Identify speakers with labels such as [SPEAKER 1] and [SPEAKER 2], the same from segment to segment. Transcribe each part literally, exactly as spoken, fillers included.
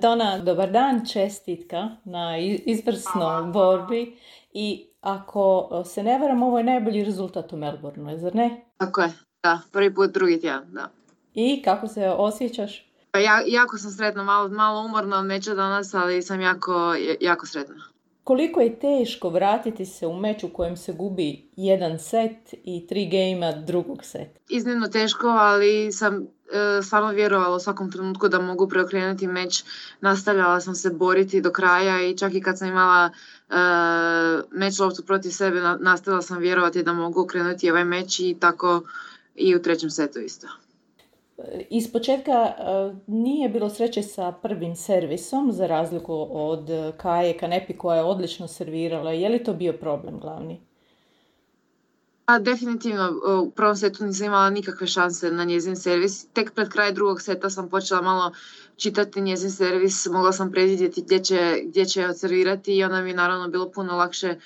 [SPEAKER 1] Dona, dobar dan, čestitka na i- izvrsnoj borbi i ako se ne varam, ovo je najbolji rezultat u Melbourneu, zar ne?
[SPEAKER 2] Tako je, da, prvi put drugi tjedan, da.
[SPEAKER 1] I kako se osjećaš?
[SPEAKER 2] Pa ja, jako sam sretna, malo, malo umorna od meča danas, ali sam jako, jako sretna.
[SPEAKER 1] Koliko je teško vratiti se u meč u kojem se gubi jedan set i tri gejma drugog seta?
[SPEAKER 2] Iznimno teško, ali sam e, stvarno vjerovala u svakom trenutku da mogu preokrenuti meč. Nastavljala sam se boriti do kraja i čak i kad sam imala e, meč loptu protiv sebe, na, nastavila sam vjerovati da mogu okrenuti ovaj meč i tako i u trećem setu isto.
[SPEAKER 1] Iz početka e, nije bilo sreće sa prvim servisom, za razliku od Kaje Kanepi koja je odlično servirala. Je li to bio problem glavni?
[SPEAKER 2] A, definitivno, u prvom setu nisam imala nikakve šanse na njezin servis. Tek pred kraj drugog seta sam počela malo čitati njezin servis, mogla sam predvidjeti gdje će, gdje će odservirati i onda mi je naravno bilo puno lakše e,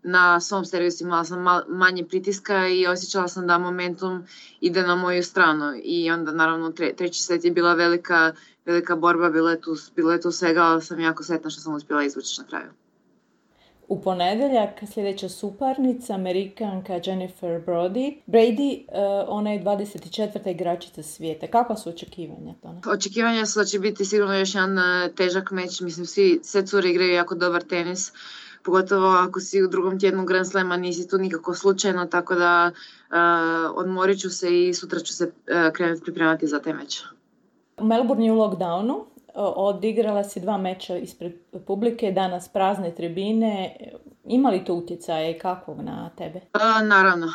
[SPEAKER 2] na svom servisu. Imala sam mal, manje pritiska i osjećala sam da momentum ide na moju stranu. I onda naravno tre, treći set je bila velika, velika borba, bilo je tu, bilo je tu svega, ali sam jako sretna što sam uspjela izvući na kraju.
[SPEAKER 1] U ponedjeljak sljedeća suparnica, Amerikanka Jennifer Brody. Brady, uh, ona je dvadeset četvrta igračica svijeta. Kakva su očekivanja tome?
[SPEAKER 2] Očekivanja su da će biti sigurno još jedan uh, težak meč. Mislim, svi, sve cure igraju jako dobar tenis. Pogotovo ako si u drugom tjednu Grand Slama, nisi tu nikako slučajno, tako da uh, odmorit ću se i sutra ću se uh, krenuti pripremati za taj meč.
[SPEAKER 1] U Melbourne je u lockdownu. Odigrala si dva meča ispred publike, danas prazne tribine. Ima li to utjecaja i kakvog na tebe?
[SPEAKER 2] A, naravno.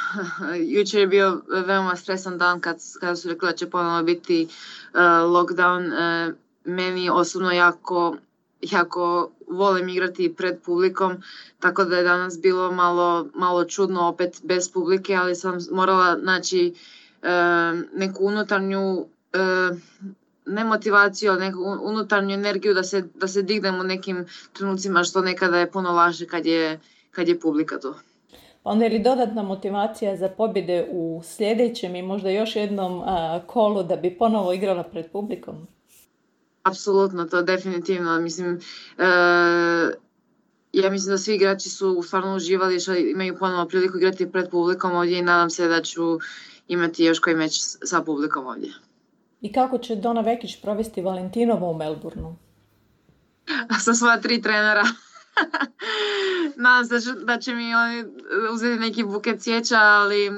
[SPEAKER 2] Jučer je bio veoma stresan dan kad, kad su rekli da će ponovno biti uh, lockdown. Uh, meni osobno jako, jako volim igrati pred publikom, tako da je danas bilo malo, malo čudno opet bez publike, ali sam morala naći uh, neku unutarnju uh, ne motivaciju, ali neku unutarnju energiju da se, da se dignem u nekim trenucima, što nekada je puno laže kad je, kad je publika tu.
[SPEAKER 1] Onda je li dodatna motivacija za pobjede u sljedećem i možda još jednom a, kolu da bi ponovo igrala pred publikom?
[SPEAKER 2] Apsolutno, to definitivno. Mislim, e, ja mislim da svi igrači su stvarno uživali što imaju ponovo priliku igrati pred publikom ovdje i nadam se da ću imati još koji meč sa publikom ovdje.
[SPEAKER 1] I kako će Dona Vekić provesti Valentinovo u Melbourneu?
[SPEAKER 2] Sa svoja tri trenera. Nadam se da će, da će mi oni uzeti neki buket cvijeća, ali uh,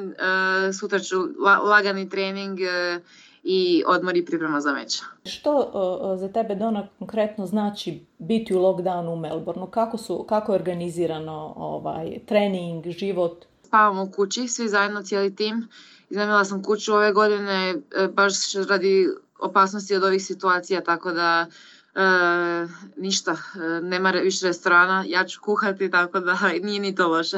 [SPEAKER 2] sutra ću la, lagani trening uh, i odmor i priprema za meč.
[SPEAKER 1] Što uh, za tebe, Dona, konkretno znači biti u lockdownu u Melbourneu? Kako, su, kako je organizirano ovaj, trening, život?
[SPEAKER 2] Spavamo u kući, svi zajedno, cijeli tim. Iznajmila sam kuću ove godine baš radi opasnosti od ovih situacija, tako da e, ništa, nema više restorana, ja ću kuhati, tako da nije ni to loše.